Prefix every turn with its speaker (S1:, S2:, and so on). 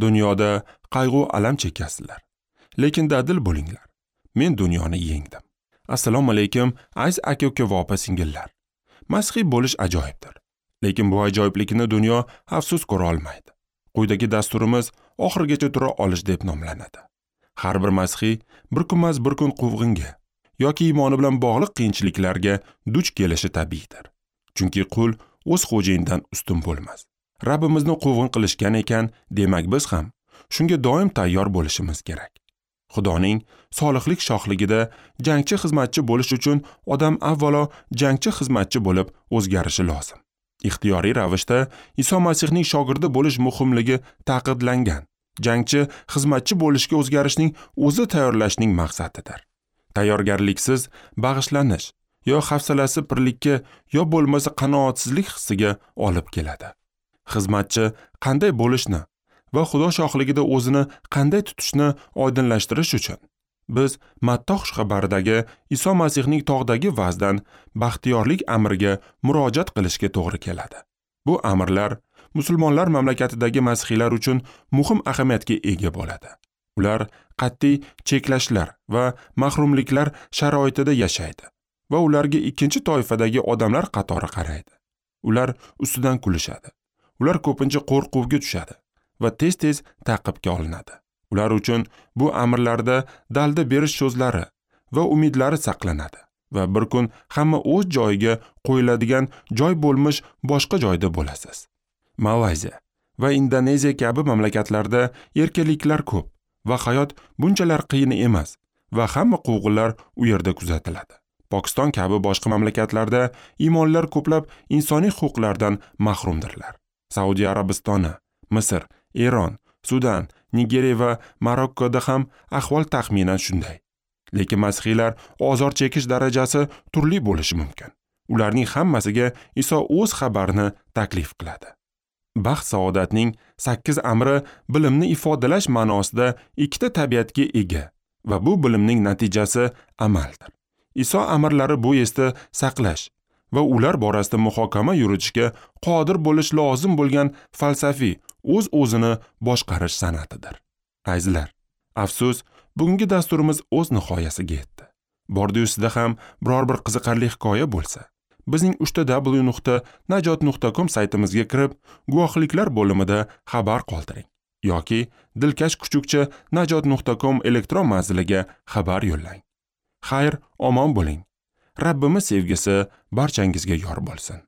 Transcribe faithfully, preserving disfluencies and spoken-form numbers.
S1: Dunyoda qayg'u alam chekasizlar, lekin dadil bo'linglar. Men dunyoni yengdim. Assalomu alaykum, aziz aka-uka va opa-singillar. Masihiy bo'lish ajoyibdir. Lekin bu ajoyiblikni dunyo afsus ko'ra olmaydi. Quyidagi dasturimiz oxirigacha tura olish deb nomlanadi. Har bir masihiy bir kunmas bir kun quvg'inga yoki iymoni bilan bog'liq qiyinchiliklarga duch kelishi tabiiydir. Chunki qul o'z xo'jayinidan ustun bo'lmas. Rabbimizni quvg'in qilishgan ekan, demak biz ham shunga doim tayyor bo'lishimiz kerak. Xudoning solihlik shohligida jangchi xizmatchi bo'lish uchun odam avvalo jangchi xizmatchi bo'lib o'zgarishi lozim. Ixtiyoriy ravishda Iso Masihning shogirdi bo'lish muhimligi ta'kidlangan. Jangchi xizmatchi bo'lishga o'zgarishning o'zi tayyorlashning maqsadidir. Tayyorgarliksiz bag'ishlanish yo hafsalasi pirlikka yo bo'lmasa qanoatsizlik hissiga olib keladi. Xizmatchi qanday bo'lishni va Xudo shohligida o'zini qanday tutishni oydinlashtirish uchun biz Matta xushxabaridagi Iso Masihning tog'dagi va'zdan baxtiyorlik amriga murojaat qilishga to'g'ri keladi. Bu amrlar musulmonlar mamlakatidagi masihiylar uchun muhim ahamiyatga ega bo'ladi. Ular qat'iy cheklashlar va mahrumliklar sharoitida yashaydi va ularga ikkinchi toifadagi odamlar qatori qaraydi. Ular ustidan kulishadi. Ular ko'pincha qo'rquvga tushadi va tez-tez ta'qibga olinadi. Ular uchun bu amrlarda dalda berish so'zlari va umidlari saqlanadi va bir kun hamma o'z joyiga qo'yiladigan joy bo'lmish boshqa joyda bo'lasiz. Malayziya va Indoneziya kabi mamlakatlarda erkinliklar ko'p va hayot bunchalar qiyin emas va hamma quvg'inlar u yerda kuzatiladi. Pokiston kabi boshqa mamlakatlarda iymonlar ko'plab insoniy huquqlardan mahrumdirlar. Saudiya Arabistoni, Misr, Eron, Sudan, Nigeriya va Marokkoda ham ahvol taxminan shunday. Lekin masihiylar ozor chekish darajasi turli bo'lishi mumkin. Ularning hammasiga Iso o'z xabarini taklif qiladi. Baxt saodatning sakkiz amri bilimni ifodalash ma'nosida ikkita tabiatga ega va bu bilimning natijasi amaldir. Iso amrlari bu esda saqlash va ular borasida muhokama yuritishga qodir bo'lish lozim bo'lgan falsafiy o'z-o'zini boshqarish san'atidir. Azizlar, afsus, bugungi dasturimiz o'z nihoyasiga yetdi. Bordi-yu sizda ham biror bir qiziqarli hikoya bo'lsa, bizning uch ta dabl yu nuqta najot nuqta com saytimizga kirib, guvohliklar bo'limida xabar qoldiring yoki dilkash kuchukcha najot nuqta com elektron manziliga xabar yo'llang. Xayr, omon bo'ling. Rabbimiz sevgisi barchangizga yor bo'lsin.